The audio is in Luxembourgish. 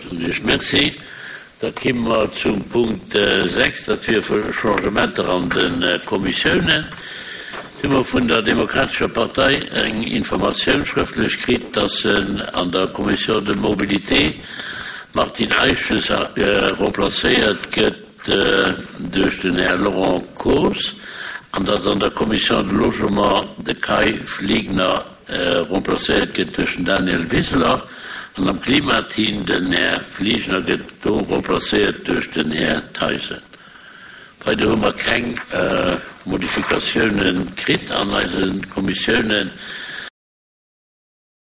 Soen ech Merci. Da kimme mer zum Punkt 6, dat wier Changementer an de Kommissiounen. Do hu mer vun der Demokratescher Partei eng Informatioun schrëftlech kritt, dass en an der Commission de mobilité d'Martine Eiches remplacéiert gëtt duerch den Här Laurent Coos an dass an der Commission de logement de Kai Fliegner remplacéiert gëtt duerch den Daniel Wiseler an am Klimateam den Här Fliegner gëtt do remplacéiert duerch den Här Theisen. Weider hu mer keng Modifikatiounen kritt an eise Kommissiounen.